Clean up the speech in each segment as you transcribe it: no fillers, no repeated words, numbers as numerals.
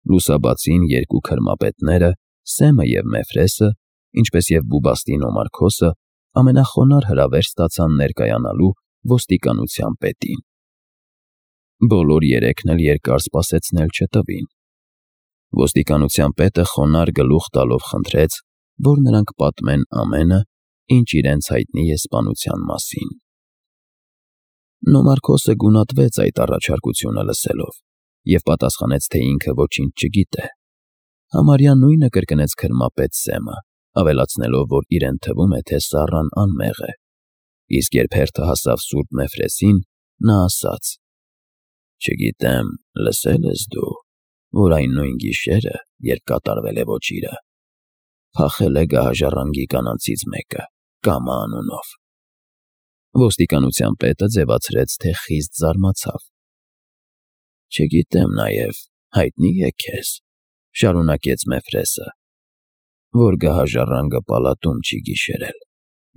Լուսաբացին երկու քրմապետները, Սեմը և Մեֆրեսը, ինչպես և Բուբաստին ու Մարկոսը, ամենախոնարհ հրավեր ստացան ներկայանալու ոստիկանության պետին։ Բոլոր երեքն էլ երկար սպասեցնել չտվին։ Ոստիկանության պետը խոնարհ գլուխ տալով խնդրեց, որ նրանք պատմեն ամենը, ինչ իրենց հայտնի է սպանության մասին։ Նոմարքոսը գունատվեց այդ առաջարկությունը լսելով և պատասխանեց, թե ինքը ոչինչ չգիտե։ Համարյա նույնը կրկնեց քրմապետ Սեմը, ավելացնելով, որ իրեն թվում է, թե Սառան անմեղ է։ Իսկ երբ հերթը հասավ սուրբ Մեֆրեսին, նա ասաց. «Չգիտեմ, լսե՞լ ես դու, որ այն նույն գիշերը, երբ կատարվել է ոճիրը, փախել է գահաժառանգի կանանցից մեկը, Կամա անունով»։ Ոստիկանության պետը ձևացրեց, թե խիստ զարմացավ։ «Չգիտեմ նաև, հայտնի է քեզ, ֊ շարունակեց Մեֆրեսը, ֊ որ գահաժառանգը պալատում չի գիշերել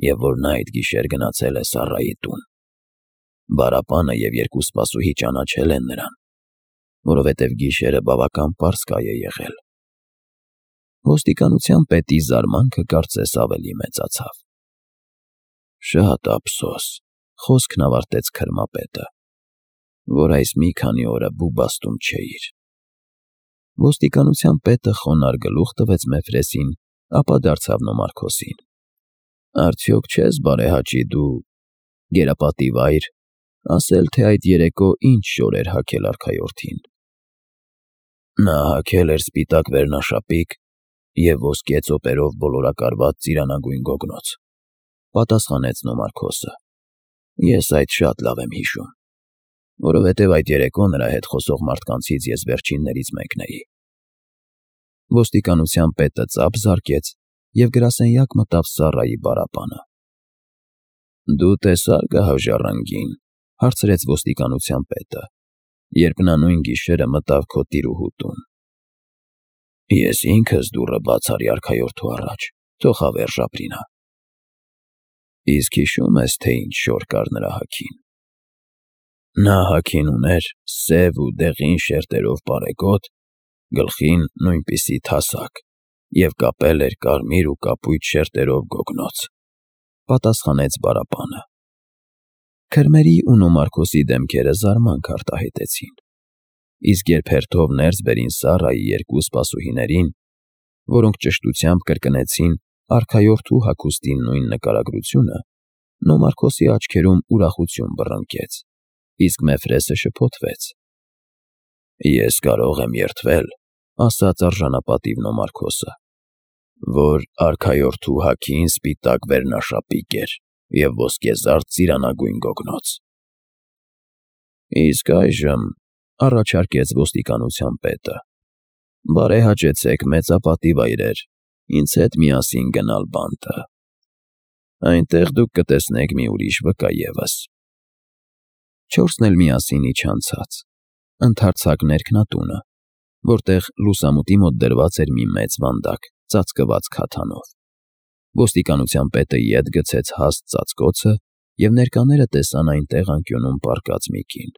և որ նա այդ գիշեր գնացել է Սառայի տուն։ Բարապանը և երկու սպասուհի ճանաչել են նրան, որովհետև գիշերը բավական պարսկայ է եղել»։ Ոստիկանության պետի զարմանքը կարծես ավելի մեծացավ։ «Շատ ափսոս, ֊ խոսքն ավարտեց քրմապետը, ֊ որ այս մի քանի օրը Բուբաստում չէիր»։ Ոստիկանության պետը խոնարհ գլուխ տվեց Մեֆրեսին, ապա դարձավ Նոմարքոսին. «Արդյոք չես բարեհաճի դու, գերապատիվ այր, ասել, թե այդ երեկո ինչ շոր էր հագել արքայորդին»։ «Նա հագել էր սպիտակ վերնաշապիկ և ոսկե ծոպերով բոլորակարված ծիրանագույն գոգնոց», ֊ պատասխանեց Նոմարքոսը։ «Ես այդ շատ լավ եմ հիշում, որովհետև այդ երեկո նրա հետ խոսող մարդկանցից ես վերջիններից մեկն էի»։ Ոստիկանության պետը ծափ զարկեց և գրասենյակ մտավ Սառայի բարապանը։ «Դու տեսա՞ր գահաժառանգին, ֊ հարցրեց ոստիկանության պետը, ֊ երբ նա նույն գիշերը մտավ քո տիրուհու տուն»։ «Ես ինքս դուռը բաց արի արքայորդու առաջ, թող հավերժ ապրի նա»։ «Իսկ հիշո՞ւմ ես, թե ինչ շոր կար նրա հագին»։ «Նա հագին ուներ սև ու դեղին շերտերով պարեգոտ, գլխին նույնպիսի թասակ և կապել էր կարմիր ու կապույտ շերտերով գոգնոց», ֊ պատասխանեց բարապանը։ Քրմերի ու Նոմարքոսի դեմքերը զարմանք արտահայտեցին։ Իսկ երբ հերթով ներս բերին Սառայի երկու սպասուհիներին, որոնք ճշտությամբ կրկնեցին արքայորդու հագուստի նույն նկարագրությունը, Նոմարքոսի աչքերում ուրախություն բռնկեց, իսկ Մեֆրեսը շփոթվեց։ «Ես կարող եմ երդվել, ֊ ասաց արժանապատիվ Նոմարքոսը, ֊ որ արքայորդու հագին սպիտակ վերնաշապիկ էր և ոսկեզարդ ծիրանագույն գոգնոց»։ «Իսկ այժմ, ֊ առաջարկեց ոստիկանության պետը, ֊ բարեհաճեցեք, մեծապատիվ այրեր, ինձ հետ միասին գնալ բանտը։ Այնտեղ դուք կտեսնեք մի ուրիշ վկա ևս»։ Չորսն էլ միասին իջան ցած, ընդարձակ ներքնատունը, որտեղ լուսամուտի մոտ դրված էր մի մեծ վանդակ, ծածկված քաթանով։ Ոստիկանության պետը ետ գցեց հաստ ծածկոցը, և ներկաները տեսան այնտեղ անկյունում պառկած մի կին։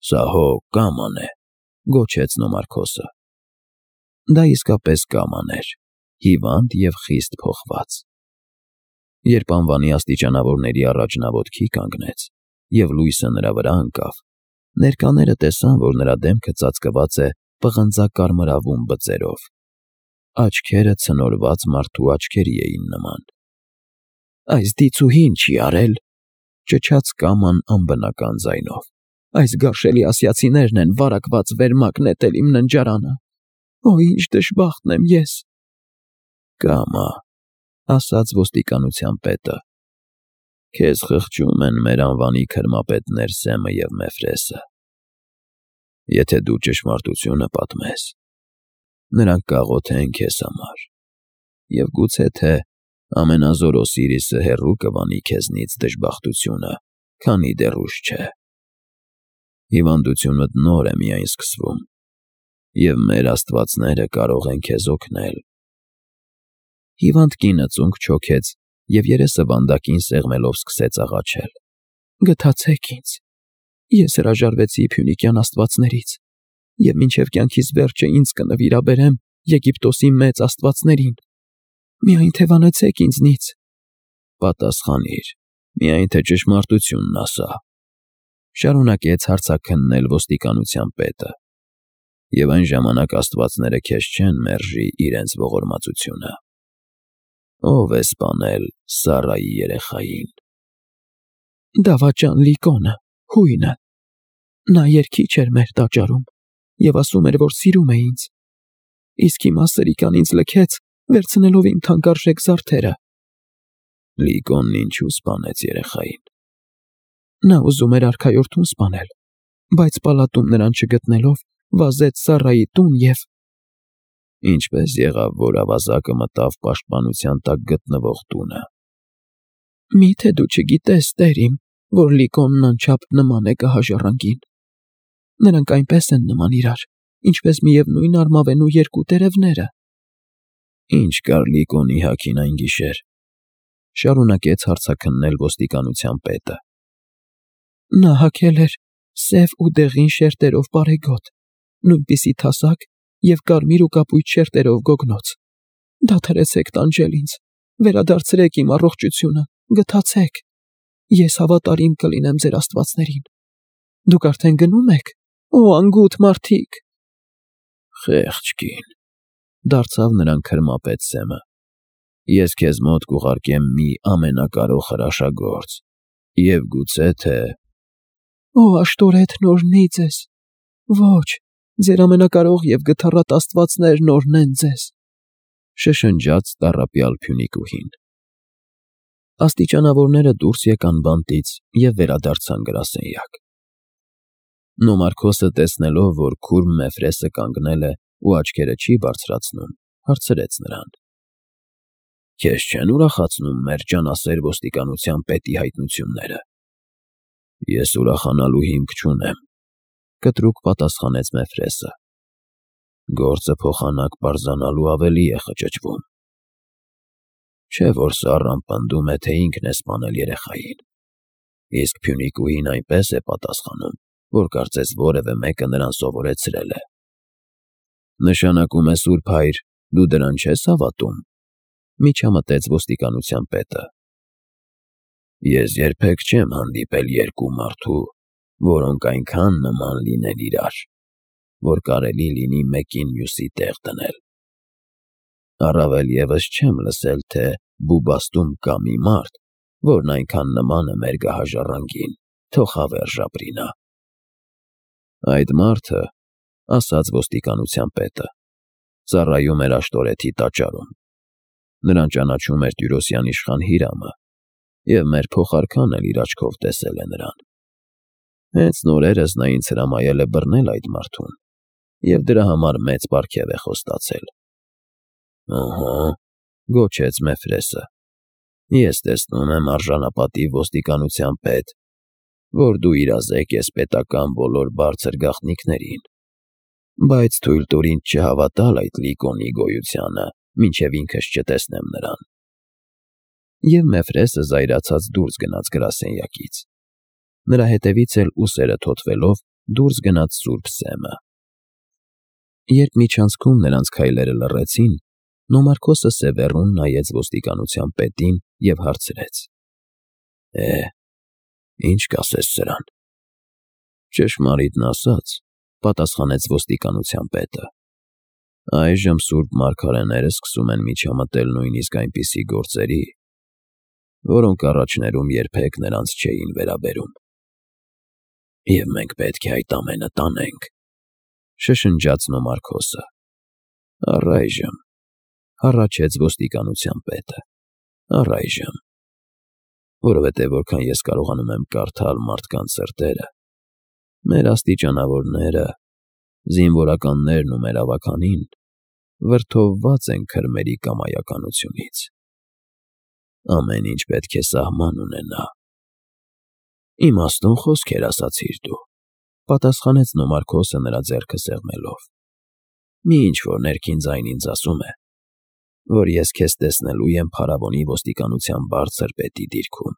«Սա հո Կաման է, ֊ գոչեց Նոմարքոսը։ Դա իսկապես Կաման էր, հիվանդ և խիստ փոխված։ Երբ անվանի աստիճանավորների առաջ նա ոտքի կանգնեց և լույսը նրա վրա ընկավ, ներկաները տեսան, որ նրա դեմքը ծածկված է պղնձակարմրավուն բծերով։ Աչքերը ցնորված մարդու աչքերի էին նման։ «Այս դիցուհին չի արել, ֊ ճչաց Կաման անբնական ձայնով, ֊ այս գարշելի ասիացիներն են վարակված վերմակ նետել իմ ննջարանը։ Օ՜, ինչ դժբախտն եմ ես»։ «Կամա, ֊ ասաց ոստիկանության պետը, ֊ քեզ խղճում են մեր անվանի քրմապետներ Սեմը և Մեֆրեսը։ Եթե դու ճշմարտությունը պատմես, նրանք կաղոթեն քեզ համար և գուցե թե ամենազոր Օսիրիսը հեռու կվանի քեզնից դժբախտությունը, քանի դեռ ուշ չէ։ Հիվանդությունդ նոր է միայն սկսվում, և մեր աստվածները կարող են քեզ օգնել»։ Հիվանդ կինը ծունկ չոքեց և երեսը վանդակին սեղմելով սկսեց աղաչել. «Գթացեք ինձ, ես հրաժարվեցի Փյունիկյան աստվածներից, և մինչև կյանքիս վերջը ինձ կնվիրաբերեմ Եգիպտոսի մեծ աստվածներին։ Միայն թևանեցեք ինձնից։ Պատասխանիր, միայն թե ճշմարտությունն ասա, շարունակեց հարցաքննել ոստիկանության պետը, և այն ժամանակ աստվածները քեզ չեն մերժի իրենց ողորմածությունը։ Ո՞վ է սպանել Սառայի երեխային։ Դավաճան Լիկոնը, հույնը։ Նա երգիչ էր մեր տաճարում և ասում էր, որ սիրում է ինձ։ Իսկ հիմա սրիկան ինձ լքեց, վերցնելով իմ թանկարժեք զարդերը։ Լիկոնն ինչու սպանեց երեխային։ Նա ուզում էր արքայորդուն սպանել, բայց պալատում նրան չգտնելով, վազեց Սառայի տուն և… Ինչպես եղավ, որ ավազակը մտավ պաշտպանության տակ գտնվող տունը։ Մի՞թե դու չգիտես, տեր իմ, որ Լիկոնն անչափ նման է գահաժառանգին։ Նրանք այնպես են նման իրար, ինչպես միևնույն արմավենու երկու տերևները։ Ինչ կար Լիկոնի հագին այն գիշեր, շարունակեց հարցաքննել ոստիկանության պետը։ Նա հագել էր սև ու դեղին շերտերով բարեգոտ, նույնպիսի թասակ և կարմիր ու կապույտ շերտերով գոգնոց։ Դադարեցեք տանջել ինձ, վերադարձրեք իմ առողջությունը, գթացեք։ Ես հավատարիմ կլինեմ ձեր աստվածներին։ Դուք արդեն գնո՞ւմ եք, օ անգութ մարդիկ։ Խեղճ կին, դարձավ նրան քրմապետ Սեմը։ Ես քեզ մոտ կուղարկեմ մի ամենակարող հրաշագործ, և գուցե թե… Օ աշտորեթն օրհնի ձեզ։ Ոչ, ձեր ամենակարող և գթառատ աստվածներն օրհնեն ձեզ, շշնջաց տառապյալ Փյունիկուհին։ Աստիճանավորները դուրս եկան բանտից և վերադարձան գրասենյակ։ Նոմարքոսը տեսնելով, որ քուրմ Մեֆրեսը կանգնել է ու աչքերը չի բարձրացնում, հարցրեց նրան. Քեզ չեն ուրախացնում մեր ջանասեր ոստիկանության պետի հայտնությունները։ Ես ուրախանալու հիմք չունեմ, կտրուկ պատասխանեց Մեֆրեսը։ Գործը փոխանակ պարզանալու ավելի է խճճվում։ Չէ՞ որ Սառան պնդում է, թե ինքն է սպանել երեխային։ Իսկ Փյունիկուհին այնպես է պատասխանում, որ կարծես որևէ մեկը նրան սովորեցրել է։ Նշանակում է, Սուրբ Հայր, դու դրան չես հավատում, միջամտեց ոստիկանության պետը։ Ես երբեք չեմ հանդիպել երկու մարդու, որոնք այնքան նման լինեն իրար, որ կարելի լինի մեկին մյուսի տեղ դնել։ Առավել ևս չեմ լսել, թե Բուբաստում կա մի մարդ, որն այնքան նման է մեր գահաժառանգին, թող հավերժ ապրի նա։ Այդ մարդը, ասաց ոստիկանության պետը, ծառայում էր աշտորեթի տաճարում։ Նրան ճանաչում էր Տյուրոսյան իշխան Հիրամը, և մեր փոխարքան էլ իր աչքով տեսել է նրան։ Հենց նորերս նա ինձ հրամայել է բռնել այդ մարդուն, և դրա համար մեծ պարգև է խոստացել։ Ըհը, գոչեց Մեֆրեսը, ես տեսնում եմ արժանապատիվ ոստիկանության պետ, որ դու իրազեկ ես պետական բոլոր բարձր գաղտնիքներին, բայց թույլ տուր ինձ չհավատալ այդ Լիկոնի գոյությանը, մինչև ինքս չտեսնեմ նրան։ Եվ Մեֆրեսը զայրացած դուրս գնաց գրասենյակից։ Նրա հետևից էլ ուսերը թոթվելով դուրս գնաց Սուրբ Սեմը։ Երբ միջանցքում նրանց քայլերը լռեցին, Նոմարքոսը սևեռուն նայեց ոստիկանության պետին և հարցրեց. Ինչ կասես սրան։ Ճշմարիտն ասած, պատասխանեց ոստիկանության պետը, այժմ սուրբ մարգարեները սկսում են միջամտել նույնիսկ այնպիսի գործերի, որոնք առաջներում երբեք նրանց չէին վերաբերում։ Եվ մենք պետք է այդ ամենը տանենք, շշնջաց Նոմարքոսը։ Առայժմ, հառաչեց ոստիկանության պետը, առայժմ, որովհետև որքան ես կարողանում եմ կարդալ մարդկանց սրտերը, մեր աստիճանավորները, զինվորականներն ու մեր ավագանին վրդովված են քրմերի կամայականությունից։ Ամեն ինչ պետք է սահման ունենա։ Իմաստուն խոսքեր ասացիր դու, պատասխանեց Նոմարքոսը նրա ձեռքը սեղմելով։ Մի ինչ-որ ներքին ձայն ինձ ասում է, որ ես քեզ տեսնելու եմ փարավոնի ոստիկանության բարձր պետի դիրքում։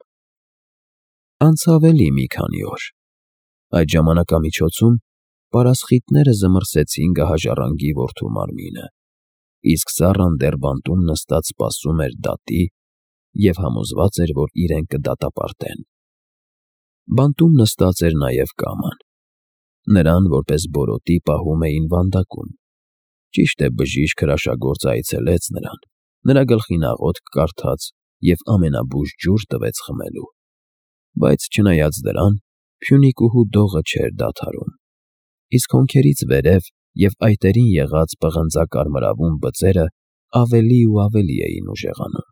Անցավ էլի մի քանի օր։ Այդ ժամանակամիջոցում պարասխիտները զմռսեցին գահաժառանգի որդու մարմինը, իսկ Սառան դեռ բանտում նստած սպասում էր դատի և համոզված էր, որ իրեն կդատապարտեն։ Բանտում նստած էր նաև կաման։ Նրան, որպես բորոտի, պահում էին վանդակում։ Ճիշտ է, բժիշկ հրաշագործը այցելեց նրան, նրա գլխին աղոթք կարդաց և ամենաբույժ ջուր տվեց խմելու։ Բայց չնայած դրան, Փյունիկուհու դողը չէր դադարում, իսկ հոնքերից վերև և այտերին եղած պղնձակարմրավուն բծերը ավելի ու ավելի էին ուժեղանում։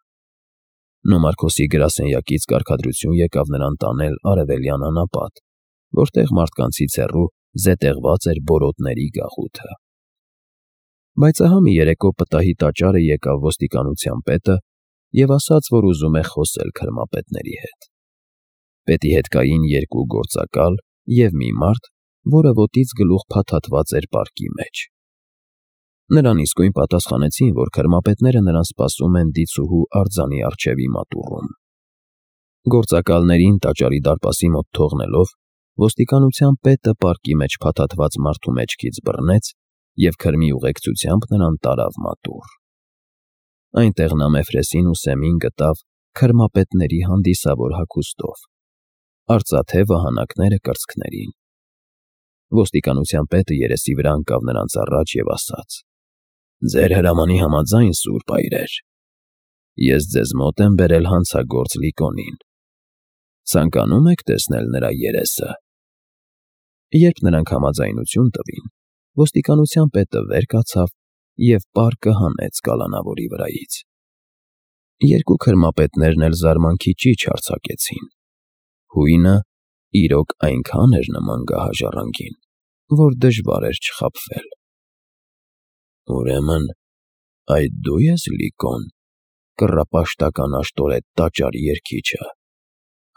Նոմարքոսի գրասենյակից կարգադրություն եկավ նրան տանել Արևելյան անապատ, որտեղ մարդկանցից հեռու զետեղված էր բորոտների գաղութը։ Բայց ահա մի երեկո պտահի տաճարը եկավ ոստիկանության պետը և ասաց, որ ուզում է խոսել քրմապետների հետ։ Պետի հետ կային երկու գործակալ և մի մարդ, որը ոտից գլուխ փաթաթված էր պարկի մեջ։ Նրան իսկույն պատասխանեցին, որ քրմապետները նրան սպասում են դիցուհու արձանի առջևի մատուռում։ Գործակալներին տաճարի դարպասի մոտ թողնելով, ոստիկանության պետը պարկի մեջ փաթաթված մարդու մեջքից բռնեց և քրմի ուղեկցությամբ նրան տարավ մատուռ։ Այնտեղ նա Մեֆրեսին ու Սեմին գտավ քրմապետների հանդիսավոր հագուստով, արծաթե վահանակները կրծքներին։ Ոստիկանության պետը երեսի վրա ընկավ նրանց առաջ և ասաց. «Ձեր հրամանի համաձայն, սուրբ այրեր, ես ձեզ մոտ եմ բերել հանցագործ Լիկոնին։ Ցանկանում եք տեսնել նրա երեսը»։ Երբ նրանք համաձայնություն տվին, ոստիկանության պետը վեր կացավ և պարկը հանեց կալանավորի վրայից։ Երկու քրմապետներն էլ զարմանքի ճիչ արձակեցին։ Հույնը իրոք այնքան էր նման գահաժառանգին, որ դժվար էր չխաբվել։ «Ուրեմն այդ դու ես Լիկոն, կռապաշտական աշտորետ տաճարի երգիչը»,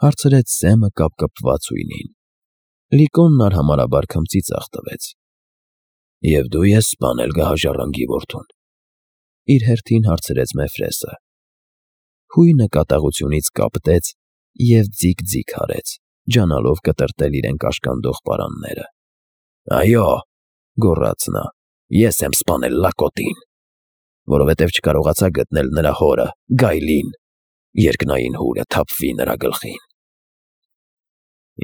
հարցրեց Սեմը կապկպված հույնին։ Լիկոնն արհամարհաբար քմծիծաղ տվեց։ «Եվ դու ես սպանել գահաժառանգի որդուն», իր հերթին հարցրեց Մեֆրեսը։ Հույնը կատաղությունից կապտեց և ձիգ-ձիգ արեց, ջանալով կտրտել իրեն կաշկանդող պարանները։ «Այո», գոռաց նա, «ես եմ սպանել Լակոտին, որովհետև չկարողացա գտնել նրա հորը՝ Գայլին, երկնային հուրը թափվի նրա գլխին»։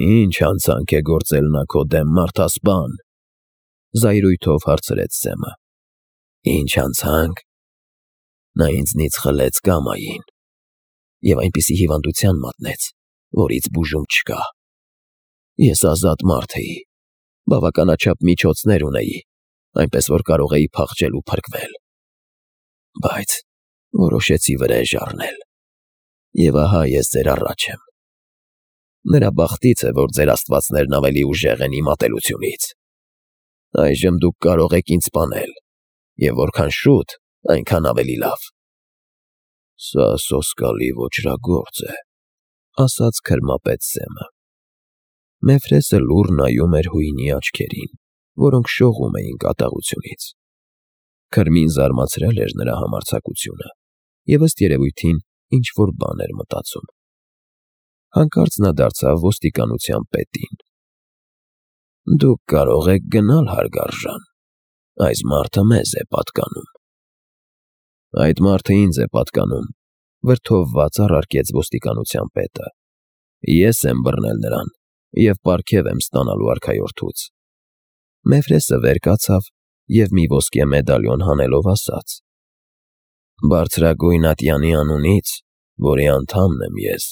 «Ի՞նչ հանցանք է գործել նա քո դեմ, մարդասպան», զայրույթով հարցրեց Սեմը։ «Ինչ հանցանք։ Նա ինձնից խլեց կամային և այնպիսի հիվանդության մատնեց, որից բուժում չկա։ Ես ազատ մարդ էի, բավականաչափ միջոցներ ունեի, այնպես որ կարող էի փախչել ու փրկվել։ Բայց որոշեցի վրեժ առնել, և ահա ես ձեր առաջ եմ։ Նրա բախտից է, որ ձեր աստվածներն ավելի ուժեղ են իմ ատելությունից։ Այժմ դուք կարող եք ինձ սպանել, և որքան շուտ, այնքան ավելի լավ»։ «Սա սոսկալի ոճրագործ է», ասաց քրմապետ Սեմը։ Մեֆրեսը լուռ նայում էր հույնի աչքերին, որոնք շողում էին կատաղությունից։ Քրմին զարմացրել էր նրա համարձակությունը, և ըստ երևույթին ինչ-որ բան էր մտածում։ Հանկարծ նա դարձավ ոստիկանության պետին։ «Դուք կարող եք գնալ, հարգարժան, այս մարդը մեզ է պատկանում»։ «Այդ մարդը ինձ է պատկանում», վրդովված առարկեց ոստիկանության պետը։ «Ես եմ բռնել նրան և պարգև եմ ստանալու արքայորդուց»։ Մեֆրեսը վեր կացավ և մի ոսկե մեդալիոն հանելով ասաց. «Բարձրագույն ատյանի անունից, որի անդամն եմ ես,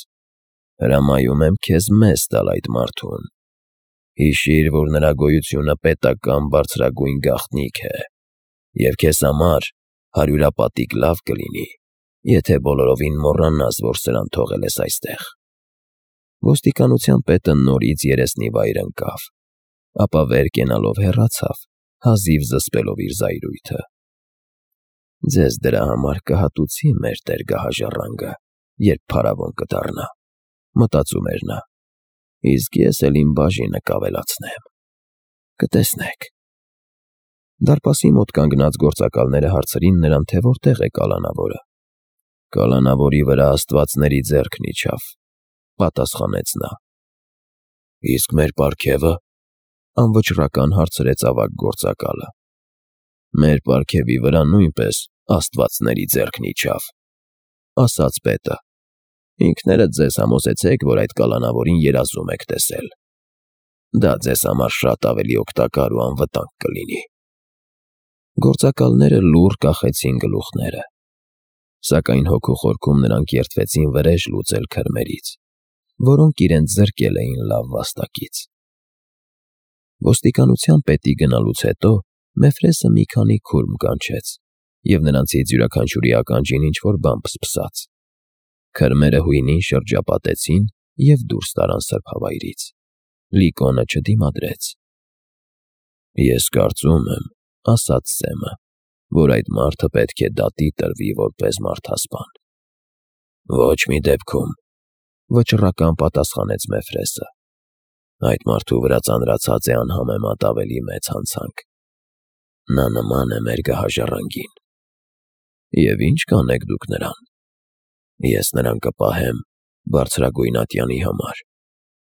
հրամայում եմ քեզ մեզ տալ այդ մարդուն։ Հիշիր, որ նրա գոյությունը պետական բարձրագույն գաղտնիք է, և քեզ համար հարյուրապատիկ լավ կլինի, եթե բոլորովին մոռանաս, որ սրան թողել ես այստեղ»։ Ոստիկանության պետը նորից երեսնի վայր ընկավ, ապա վեր կենալով հեռացավ, հազիվ զսպելով իր զայրույթը։ «Ձեզ դրա համար կհատուցի մեր տեր գահաժառանգը, երբ փարավոն կդառնա», մտածում էր նա, «իսկ ես էլ իմ բաժինը կավելացնեմ։ Կտեսնեք»։ Դարպասի մոտ կանգնած գործակալները հարցրին նրան, թե որտեղ է կալանավորը։ «Կալանավորի վրա աստվածների ձեռքն իջավ», պատասխանեց նա։ «Իսկ մեր պարգևը»։ Անվճռական հարցրեց ավագ գործակալը։ Մեր պարգևի վրա նույնպես աստվածների ձեռքն իջավ, ասաց պետը։ Ինքներդ ձեզ համոզեցեք, որ այդ կալանավորին երազում եք տեսել։ Դա ձեզ համար շատ ավելի օգտակար ու անվտանգ կլինի։ Գործակալները լուռ կախեցին գլուխները, սակայն հոգու խորքում նրանք երդվեցին վրեժ լուծել քրմերից, որոնք իրենց զրկել էին լավ վաստակից։ Ոստիկանության պետի գնալուց հետո Մեֆրեսը մի քանի քուրմ կանչեց, և նրանցից յուրաքանչյուրի ականջին ինչ-որ բան փսփսաց։ Քրմերը հույնին շրջապատեցին և դուրս տարան սրբավայրից։ Լիկոնը չդիմադրեց։ Ես կարծում եմ, ասաց Սեմը, որ այդ մարդը պետք է դատի տրվի որպես մարդասպան։ Ոչ մի դեպքում, վճռական պատասխանեց Մեֆրեսը։ Այդ մարդու վրա ծանրացած է անհամեմատ ավելի մեծ հանցանք։ Նա նման է մեր գահաժառանգին։ Եվ ինչ կանեք դուք նրան։ Ես նրան կպահեմ բարձրագույն ատյանի համար,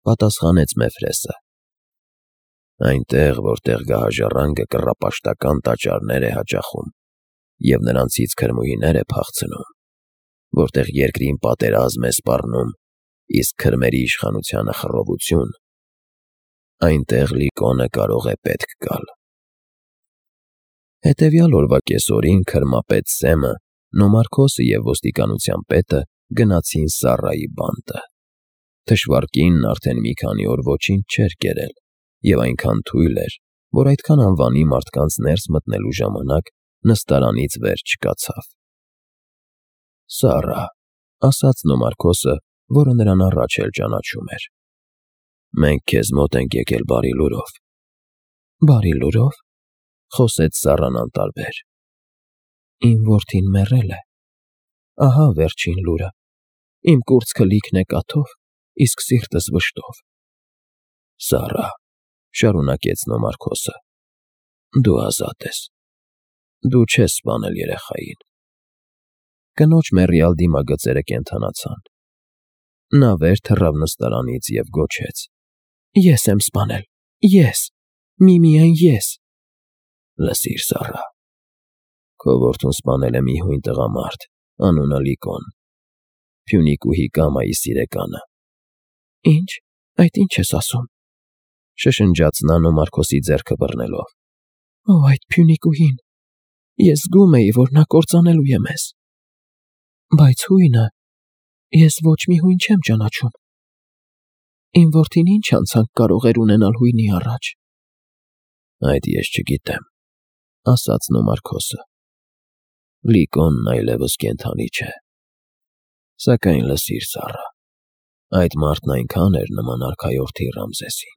պատասխանեց Մեֆրեսը։ Այնտեղ, որտեղ գահաժառանգը կռապաշտական տաճարներ է հաճախում և նրանցից քրմուհիներ է փախցնում, որտեղ երկրին պատերազմ է սպառնում, իսկ քրմերի իշխանությանը խռովություն, այնտեղ Լիկոնը կարող է պետք գալ։ Հետևյալ օրվա կեսօրին քրմապետ Սեմը, Նոմարքոսը և ոստիկանության պետը գնացին Սառայի բանտը։ Թշվառ կինն արդեն մի քանի օր ոչինչ չէր կերել և այնքան թույլ էր, որ այդքան անվանի մարդկանց ներս մտնելու ժամանակ նստարանից վեր չկացավ։ Սառա, ասաց Նոմարքոսը, որը նրան առաջ էլ ճանաչում էր։ Մենք քեզ մոտ ենք եկել բարի լուրով։ Բարի լուրով, խոսեց Սառան անտարբեր։ Իմ որդին մեռել է։ Ահա վերջին լուրը։ Իմ կուրծքը լիքն է կաթով, իսկ սիրտս վշտով։ Սառա, շարունակեց Նոմարքոսը, դու ազատ ես։ Դու չես սպանել երեխային։ Կնոջ մեռյալ դիմագծերը կենդանացան։ Նա վեր թռավ նստարանից և գոչեց. Ես եմ սպանել, ես, միմիայն ես։ Լսիր, Սառա, քո որդուն սպանել է մի հույն տղամարդ, անունը Լիկոն, Փյունիկուհի Կամայի սիրեկանը։ Ինչ, այդ ինչ ես ասում, շշնջաց նա Նոմարքոսի ձեռքը բռնելով։ Օ, այդ Փյունիկուհին, ես զգում էի, որ նա կործանելու է մեզ։ Բայց հույնը, ես ոչ մի հույն չեմ ճանաչում։ Իմ որդին ինչ անցանք կարող էր ունենալ հույնի առաջ։ Այդ ես չգիտեմ, ասաց Նոմարքոսը։ Լիկոնն այլևս կենդանի չէ։ Սակայն լսիր, Սառա, այդ մարդն այնքան էր նման արքայորդի Ռամզեսին,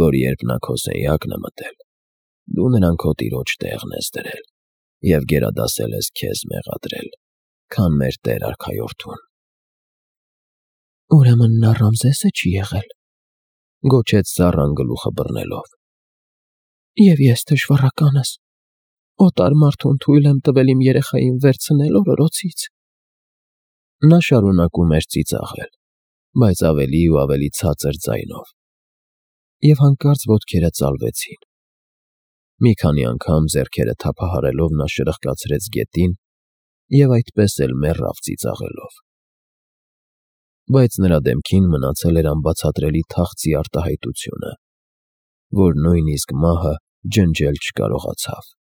որ երբ նա քո սենյակն է մտել, դու նրան քո տիրոջ տեղն ես դրել և գերադասել ես քեզ մեղադրել, քան մեր տեր արքայորդուն։ Ուրեմն նա Ռամզեսը չի եղել, գոչեց Սառան գլուխը բռնելով։ Եվ ես թշվառականս, օտար մարդուն թույլ եմ տվել իմ երեխային վերցնել օրորոցից։ Նա շարունակում էր ծիծաղել, բայց ավելի ու ավելի ցածր ձայնով, և հանկարծ ոտքերը ծալվեցին։ Մի քանի անգամ ձեռքերը թափահարելով նա շրխկացրեց գետին և այդպես էլ մեռավ ծիծաղելով։ Բայց նրա դեմքին մնացել էր անբացատրելի թախծի արտահայտությունը, որ նույնիսկ մահը ջնջել չկարողացավ։